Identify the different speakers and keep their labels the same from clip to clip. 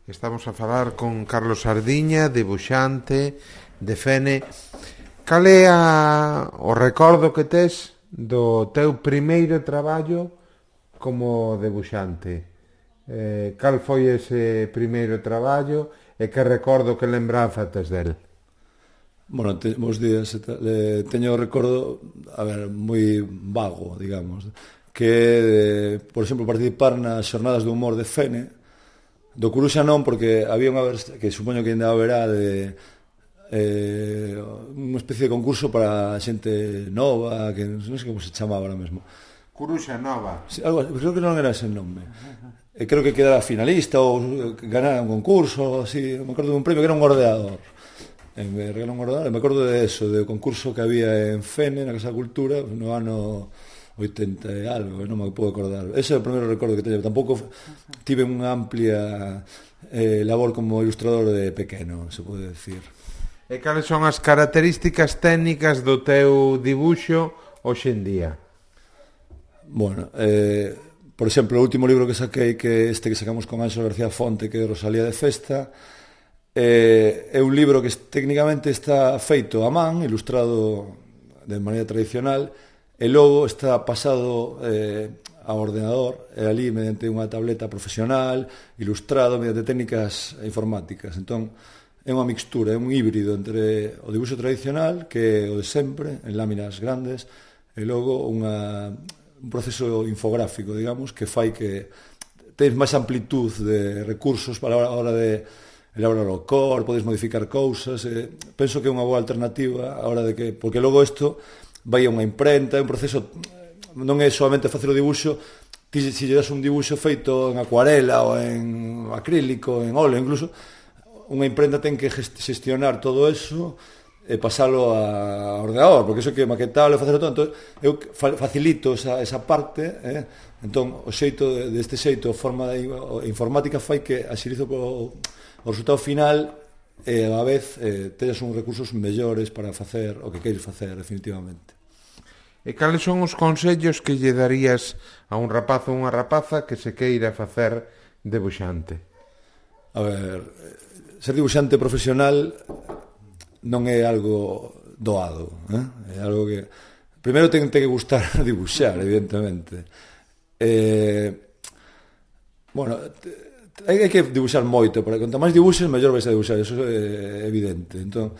Speaker 1: Estamos a falar con Carlos Sardiña, debuxante de Fene. Cal é o recordo que tes do teu primeiro traballo como debuxante? Cal foi ese primeiro traballo e que recordo, que lembranza tes del?
Speaker 2: Bueno, bons días. Teño o recordo, moi vago, digamos, que, por exemplo, participar nas xornadas de humor de Fene. Do Coruxa non, porque había unha que supoño que ainda haberá de unha especie de concurso para xente nova, que non sei como se chamaba ahora mesmo.
Speaker 1: Coruxa Nova.
Speaker 2: Sí, algo, creo que non era ese nome. Creo que quedara finalista ou ganara un concurso, así, me acordo dun premio que era un ordeador. Me regalou un ordenador, me acordo de eso, do concurso que había en Fene, na Casa da Cultura, no ano 80 e algo, non me podo acordar. Ese é o primeiro recordo que teño. Tampouco tive unha amplia labor como ilustrador de pequeno, se pode decir.
Speaker 1: E cales son as características técnicas do teu dibuixo hoxe en día?
Speaker 2: Bueno, por exemplo, o último libro que saquei, que este que sacamos con Anxo García Fonte, que é Rosalía de Festa, é un libro que técnicamente está feito a man, ilustrado de maneira tradicional, e logo está pasado ao ordenador, e ali mediante unha tableta profesional, ilustrado mediante técnicas informáticas. Entón, é unha mixtura, é un híbrido entre o dibuixo tradicional, que é o de sempre, en láminas grandes, e logo un proceso infográfico, digamos, que fai que tens máis amplitud de recursos para a hora de elaborar o cor, podes modificar cousas. Penso que é unha boa alternativa a hora de que, porque logo isto vai a unha imprenta, é un proceso, non é solamente facer o dibuixo. Ti, se lle das un dibuixo feito en acuarela ou en acrílico, en óleo incluso, unha imprenta ten que xestionar todo eso e pasalo a ordenador, porque iso que maquetalo e facer todo. Entón, eu facilito esa parte, entón o xeito deste xeito, a forma informática fai que axilizo o resultado final e a vez teñas uns recursos mellores para facer o que queres facer definitivamente.
Speaker 1: E cales son os consellos que lle darías a un rapaz ou unha rapaza que se queira facer debuxante?
Speaker 2: A ver, ser debuxante profesional non é algo doado, é algo que primeiro ten que gustar dibuxar, evidentemente. Bueno, hai que dibuxar moito, porque conta máis dibuxes, mellor vais a dibuxar, eso é evidente. Entón,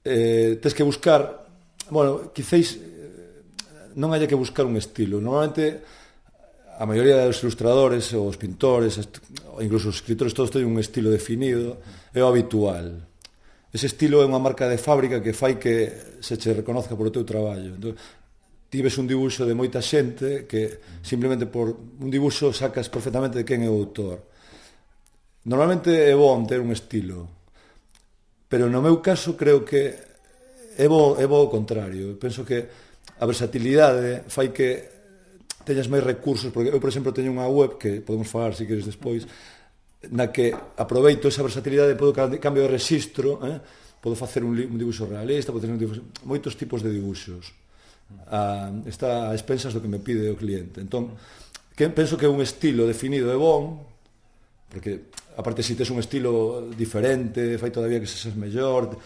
Speaker 2: tens que buscar, bueno, quizáis non haya que buscar un estilo. Normalmente, a maioría dos ilustradores, os pintores, incluso os escritores, todos teñen un estilo definido, é o habitual. Ese estilo é unha marca de fábrica que fai que se che reconozca por o teu traballo. Entón, ti ves un dibuixo de moita xente que simplemente por un dibuixo sacas perfectamente de quen é o autor. Normalmente é bon ter un estilo, pero no meu caso creo que é bo o contrario. Penso que a versatilidade fai que teñas máis recursos, porque eu, por exemplo, teño unha web que podemos falar se queres despois, na que aproveito esa versatilidade, podo cambio de registro, podo facer un dibuixo realista, podo facer moitos tipos de dibuixos. Está a expensas do que me pide o cliente. Entón, penso que un estilo definido é bon, porque aparte se tes un estilo diferente, fai todavía que seas mellor,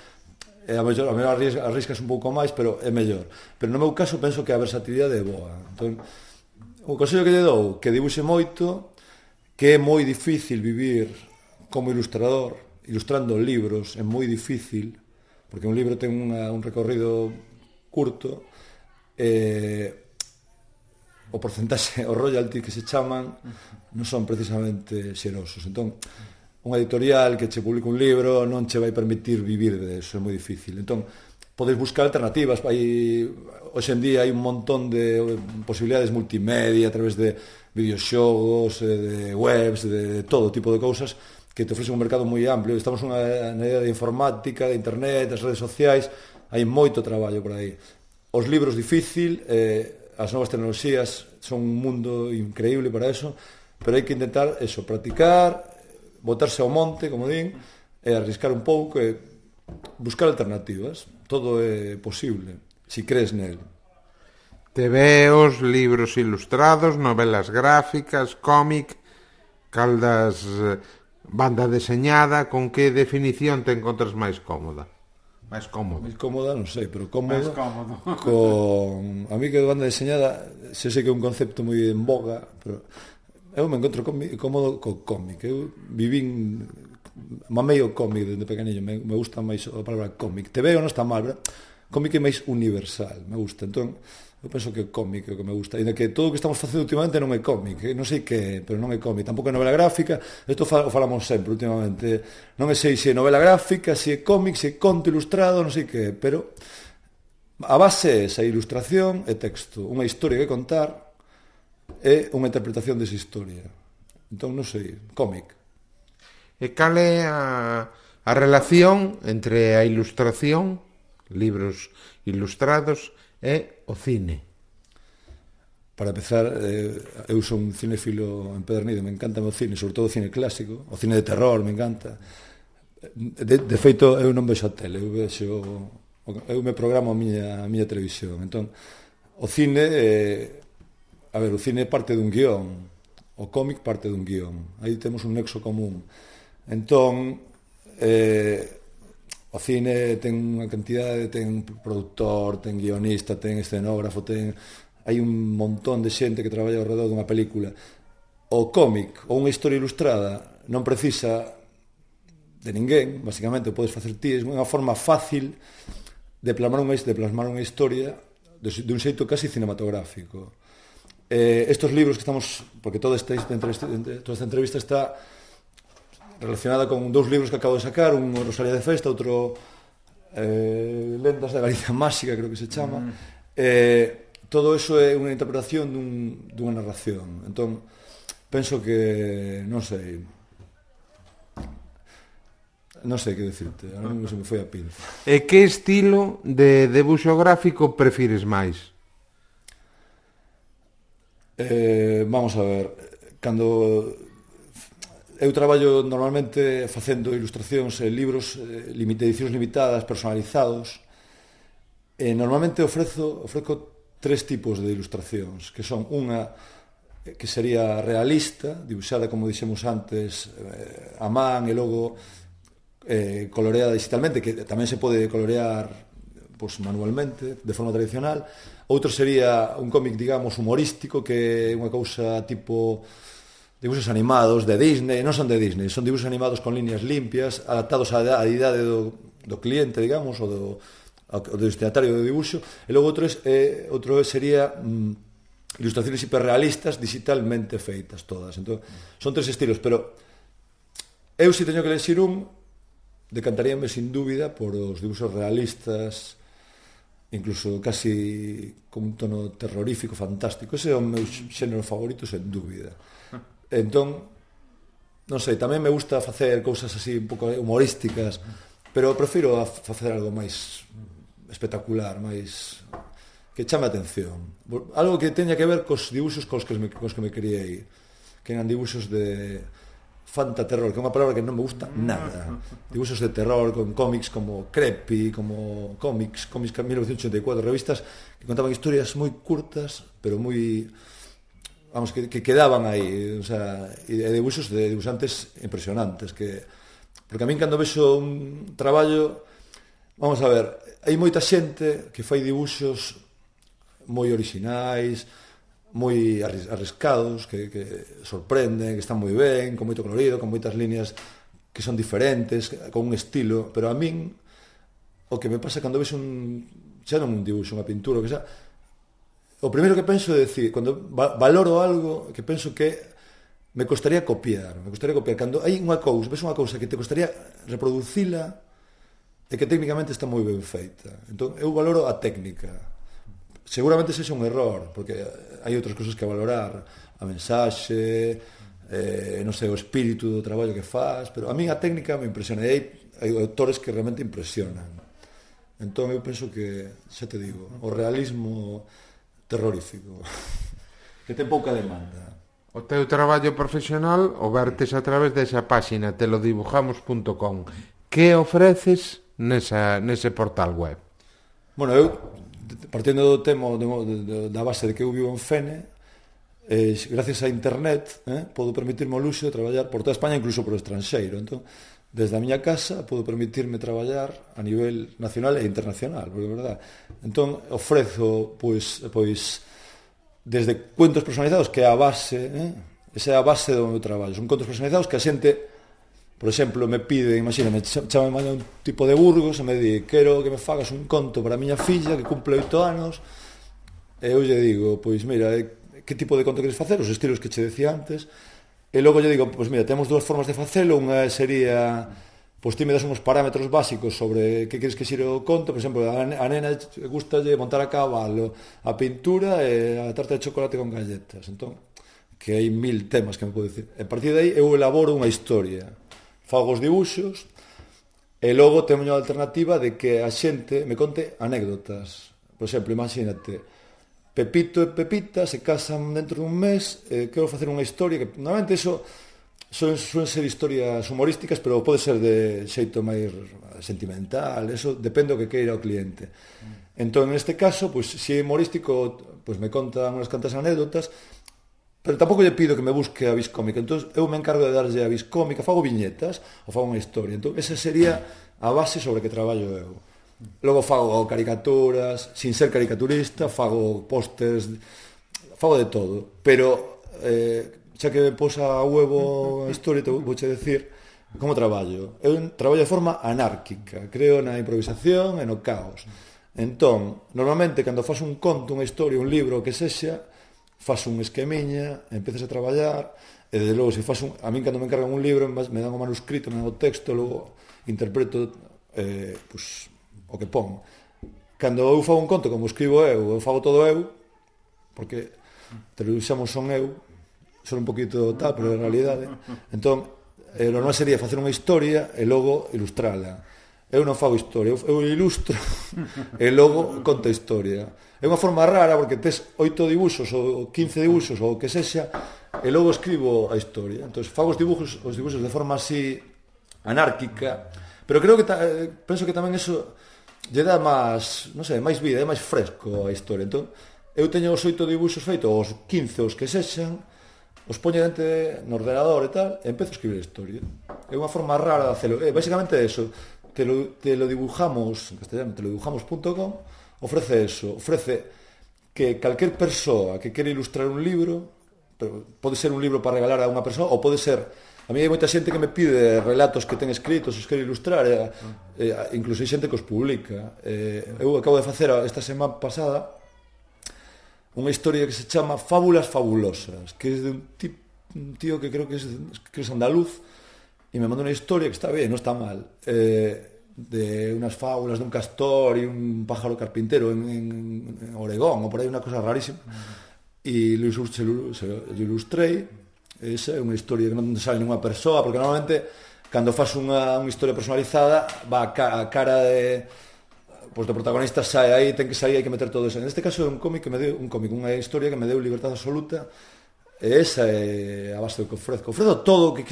Speaker 2: a mellor arriscas un pouco máis, pero é mellor. Pero no meu caso penso que a versatilidade é boa. Entón, o consello que lle dou, que dibuxe moito, que é moi difícil vivir como ilustrador, ilustrando libros é moi difícil, porque un libro ten un recorrido curto, o porcentaxe, o royalty que se chaman, non son precisamente xerosos. Entón, unha editorial que che publica un libro non che vai permitir vivir de eso, é moi difícil. Entón, podes buscar alternativas. Hoxe en día hai un montón de posibilidades multimedia a través de videoxogos, de webs, de todo tipo de cousas que te ofrecen un mercado moi amplio. Estamos na era de informática, de internet, das redes sociais, hai moito traballo por aí. Os libros difícil, as novas tecnoloxías son un mundo increíble para eso, pero hai que intentar eso, practicar, botarse ao monte, como din, e arriscar un pouco e buscar alternativas. Todo é posible, se crees nel.
Speaker 1: Tebeos, libros ilustrados, novelas gráficas, cómic, cal das Banda deseñada, con que definición te encontras máis cómoda? Máis cómodo?
Speaker 2: Máis cómoda, non sei, pero
Speaker 1: Máis
Speaker 2: cómodo.
Speaker 1: cómodo.
Speaker 2: A mí que de banda deseñada, se sei que é un concepto moi en boga, pero eu me encontro cómodo co cómic. Eu vivín, mamei o cómic desde pequeniño, me gusta máis a palabra cómic. Te veo non está mal, pero cómic é máis universal, me gusta. Entón, eu penso que o cómic é o que me gusta. Ainda que todo o que estamos facendo últimamente non é cómic, non sei que, pero non é cómic. Tampouco é novela gráfica, isto o falamos sempre últimamente. Non sei se é novela gráfica, se é cómic, se é conto ilustrado, non sei que, pero a base é esa ilustración e texto. Unha historia que contar é unha interpretación desa historia. Entón, non sei, cómic.
Speaker 1: E cal é a relación entre a ilustración, libros ilustrados, e o cine?
Speaker 2: Para empezar, eu son un cinéfilo empedernido, me encanta o cine, sobre todo o cine clásico, o cine de terror, me encanta. De feito, eu non vexo a tele, eu me programo a miña televisión. Entón, o cine, o cine parte dun guión, o cómic parte dun guión. Aí temos un nexo común. Entón, o cine ten unha cantidade, ten produtor, ten guionista, ten escenógrafo, hai un montón de xente que traballa ao redor dunha película. O cómic ou unha historia ilustrada non precisa de ninguén, basicamente podes facer ti, é unha forma fácil de plasmar unha historia de un xeito casi cinematográfico. Estos libros que estamos, porque toda esta entrevista está relacionada con dous libros que acabo de sacar, un Rosalía de Festa, outro Lendas da Galicia Máxica, creo que se chama. Todo eso é unha interpretación dunha narración. Entón, penso que, non sei que decirte, a mí se me foi a pinza.
Speaker 1: E que estilo de debuxo gráfico prefires máis?
Speaker 2: Vamos a ver, cando eu traballo normalmente facendo ilustracións e libros de edicións limitadas, personalizados, e normalmente ofrezo tres tipos de ilustracións, que son unha que sería realista, dibuixada, como dixemos antes, a man, e logo coloreada digitalmente, que tamén se pode colorear manualmente, de forma tradicional. Outro sería un cómic, digamos, humorístico, que é unha cousa tipo dibuixos animados de Disney, non son de Disney, son dibuixos animados con líneas limpias, adaptados á idade do cliente, digamos, ou do destinatario do dibuixo. E logo outro sería ilustraciones hiperrealistas digitalmente feitas todas. Entón, son tres estilos, pero eu, se teño que elegir un, decantaríame sin dúbida por os dibuixos realistas, incluso casi con un tono terrorífico, fantástico. Ese é o meu xénero favorito, sen dúbida. Entón, non sei, tamén me gusta facer cousas así un pouco humorísticas, pero prefiro facer algo máis espectacular, máis que chame a atención. Algo que teña que ver cos dibuixos cos que me criei, que eran dibuixos de fantaterror, que é unha palabra que non me gusta nada. Dibuixos de terror con cómics como Creepy, como cómics 1984, revistas que contaban historias moi curtas, pero moi, vamos, que quedaban aí, o sea, e dibuixos de dibuixantes impresionantes, porque a min cando vexo un traballo, vamos a ver, hai moita xente que fai dibuixos moi orixinais, moi arriscados, que sorprenden, que están moi ben, con moito colorido, con moitas líneas que son diferentes, con un estilo, pero a min o que me pasa cando vexo xa non un dibuixo, unha pintura, que xa, o primeiro que penso é decir, cando valoro algo, que penso que me costaría copiar, cando hai unha cousa, ves unha cousa que te costaría reproducila e que técnicamente está moi ben feita. Entón, eu valoro a técnica. Seguramente sexa un error, porque hai outras cousas que valorar, a mensaxe, non sei, o espírito do traballo que faz, pero a mí a técnica me impresiona, e hai autores que realmente impresionan. Entón eu penso que, xa te digo, o realismo terrorífico, que ten pouca demanda.
Speaker 1: O teu traballo profesional o vertes a través desa páxina telodibujamos.com. Que ofreces nese portal web?
Speaker 2: Bueno, eu, partindo do tema da base de que eu vivo en Fene, gracias a internet, podo permitirme o luxo de traballar por toda España, incluso por o estranxeiro. Entón, desde a miña casa podo permitirme traballar a nivel nacional e internacional, porque é verdade. Entón, ofrezo, pois desde cuentos personalizados, que é a base, esa é a base do meu traballo. Son contos personalizados que a xente, por exemplo, me pide, imagíname, chama un tipo de Burgos e me di, quero que me fagas un conto para a miña filla que cumple 8 anos, e eu lle digo, pois mira, que tipo de conto queres facer, os estilos que che decía antes, e logo lle digo, pois mira, temos dúas formas de facelo, unha sería, pois ti me das uns parámetros básicos sobre que queres que xire o conto, por exemplo, a nena gustalle montar a cabalo, a pintura e a tarta de chocolate con galletas, entón, que hai 1000 temas que me pode dicir. A partir de aí eu elaboro unha historia, fago os dibuxos, e logo teño a alternativa de que a xente me conte anécdotas. Por exemplo, imagínate, Pepito e Pepita se casan dentro dun mes, quero facer unha historia que normalmente eso suelen ser historias humorísticas, pero pode ser de xeito máis sentimental, eso depende do que queira o cliente. Entón, neste caso, pois, se é humorístico, pois me contan unhas cantas anécdotas, pero tampouco lle pido que me busque a vis cómica. Entón, eu me encargo de darlle a vis cómica, fago viñetas ou fago unha historia. Entón, esa sería a base sobre que traballo eu. Logo fago caricaturas, sin ser caricaturista, fago pósters, fago de todo, pero xa que me posa a huevo a historia, te vou che decir como traballo. Eu traballo de forma anárquica, creo na improvisación e no caos. Entón, normalmente, cando fas un conto, unha historia, un libro, o que sexa, fas un esquemiña, empezas a traballar, e desde logo, se fas un... A min, cando me encargan un libro, me dan o manuscrito, me dan o texto, logo interpreto, pois, o que pon. Cando eu fago un conto, como escribo eu fago todo eu, porque te lo usamos son eu, son un poquito tal, pero en realidade. Entón, o normal sería facer unha historia e logo ilustrala. Eu non fago historia, eu ilustro e logo conto a historia. É unha forma rara porque tes 8 dibuxos ou 15 dibuxos ou o que sexa e logo escribo a historia. Entón, fago os dibuxos de forma así anárquica, pero creo que penso que tamén eso lle dá máis, non sei, máis vida, é máis fresco a historia. Entón, eu teño os 8 dibuxos feitos, os 15 os que sexan, os poño dentro no ordenador e tal, e empezo a escribir a historia. É unha forma rara de hacerlo. Basicamente eso, te lo dibujamos, en castellano, telodibujamos.com, ofrece eso, ofrece que calquer persoa que quere ilustrar un libro, pode ser un libro para regalar a unha persoa, ou pode ser... A mí hai moita xente que me pide relatos que ten escritos, os quero ilustrar, incluso hai xente que os publica. Eu acabo de facer esta semana pasada unha historia que se chama Fábulas Fabulosas, que é de un tío que creo que es andaluz, e me mandou unha historia que está ben, non está mal, de unas fábulas de un castor e un pájaro carpintero en Oregón, ou por aí, unha cosa rarísima, e lo ilustrei. Esa é unha historia que non sale nunha persoa, porque normalmente cando faz unha historia personalizada va a cara de pois do protagonista sae aí, ten que sair, hai que meter todo eso. En este caso é un cómic unha historia que me deu libertad absoluta, e esa é a base do que ofrezco. Ofrezo todo, que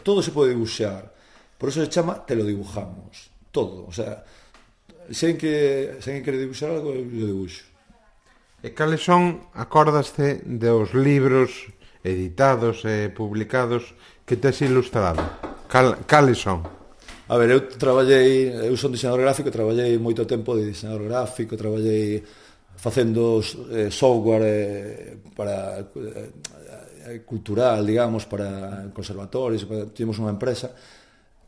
Speaker 2: todo se pode dibuixar. Por eso se chama Te lo dibujamos. Todo, o sea, se alguén quere dibuixar algo, eu dibuixo.
Speaker 1: E cales son, acordaste dos libros editados e publicados que tes ilustrado? Cales son?
Speaker 2: A ver, eu son diseñador gráfico, traballei moito tempo de diseñador gráfico, traballei facendo software para cultural, digamos, para conservatorios, tivemos unha empresa,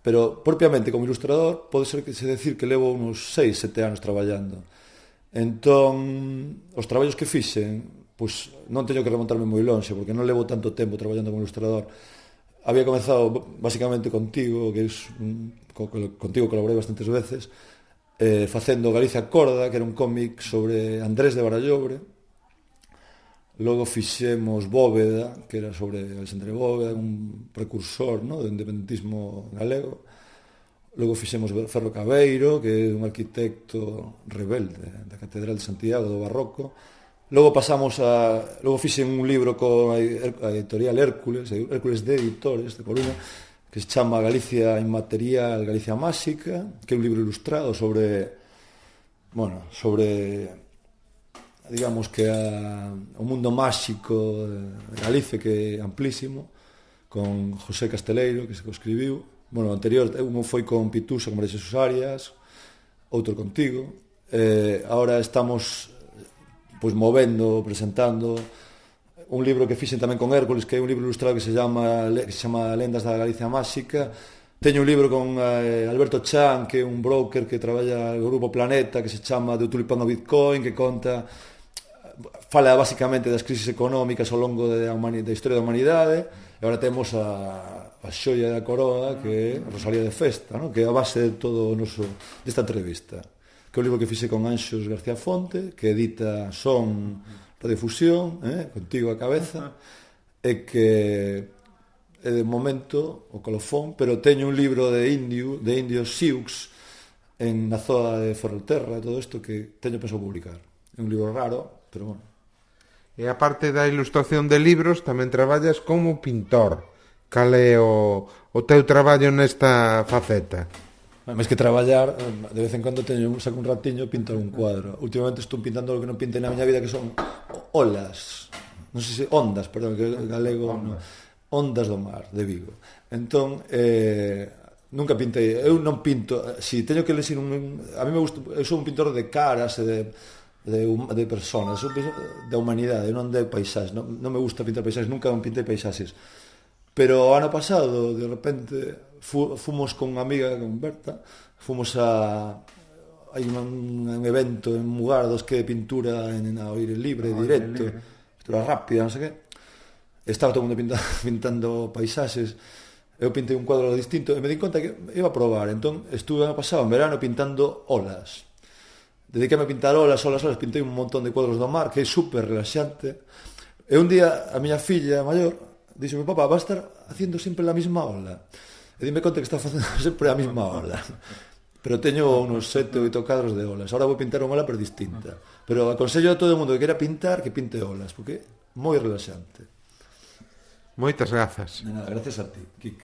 Speaker 2: pero propiamente como ilustrador pode ser que se decir que levo uns 6-7 anos traballando. Entón, os traballos que fixen, pois non teño que remontarme moi lonxe, porque non levo tanto tempo traballando como ilustrador. Había comezado basicamente contigo, contigo colaborei bastantes veces, facendo Galicia Corda, que era un cómic sobre Andrés de Barallobre. Logo fixemos Bóveda, que era sobre Alexandre Bóveda, un precursor, do independentismo galego. Logo fixemos Ferro Cabeiro, que é un arquitecto rebelde da Catedral de Santiago do Barroco. Logo fixen un libro con a editorial Hércules de Editores de Coruña, que se chama Galicia Inmaterial, Galicia Máxica, que é un libro ilustrado sobre digamos que o mundo máxico de Galicia, que é amplísimo, con José Casteleiro, que se o escribiu. Bueno, o anterior, un foi con Pitusa, con María Xesús Arias, outro contigo. Ahora estamos pois movendo, presentando un libro que fixen tamén con Hércules, que é un libro ilustrado que se chama Lendas da Galicia Máxica. Teño un libro con Alberto Chan, que é un broker que traballa no Grupo Planeta, que se chama De Tulipán ao Bitcoin, que fala basicamente das crisis económicas ao longo da historia da humanidade. E agora temos a xoia da coroa, que é Rosalía de Festa, ¿no? Que é a base de todo o noso desta entrevista, que é un libro que fixe con Anxos García Fonte, que edita Son Radiofusión, contigo a cabeza, e que é de momento o colofón, pero teño un libro de indios Sioux na zona de Ferrolterra, todo isto que teño pensado publicar. É un libro raro, pero bueno.
Speaker 1: E a parte da ilustración de libros, tamén traballas como pintor. Cal é o teu traballo nesta faceta?
Speaker 2: Máis que traballar, de vez en cando saco un ratiño e pinto un cuadro. Últimamente estou pintando o que non pintei na miña vida, que son olas, non sei se ondas, perdón, que galego, ondas do mar, de Vigo. Entón, nunca pintei, eu non pinto, si teño que lexir a mí me gusta, eu sou un pintor de caras e de personas, sou da humanidade, non de paisaxes, non me gusta pintar paisaxes, nunca pintei paisaxes. Pero ano pasado, de repente, fomos con unha amiga, con Berta, fomos hai un evento en Mugardos que é pintura ao aire libre, directo, pintura rápida, non sei que. Estaba todo o mundo pintando paisaxes. Eu pintei un cuadro distinto e me di conta que iba a probar. Entón, estuve ano pasado en verano pintando olas. Dediqueme a pintar olas, pintei un montón de cuadros do mar, que é super relaxante. E un día a miña filla maior dixo: papá, va a estar haciendo sempre a mesma ola. E dime conta que está facendo sempre a mesma ola. Pero teño unos 7 ou 8 cadros de olas. Ahora vou pintar unha ola pero distinta. Pero aconsello a todo o mundo que queira pintar que pinte olas, porque é moi relaxante.
Speaker 1: Moitas grazas.
Speaker 2: De nada, gracias a ti, Kik.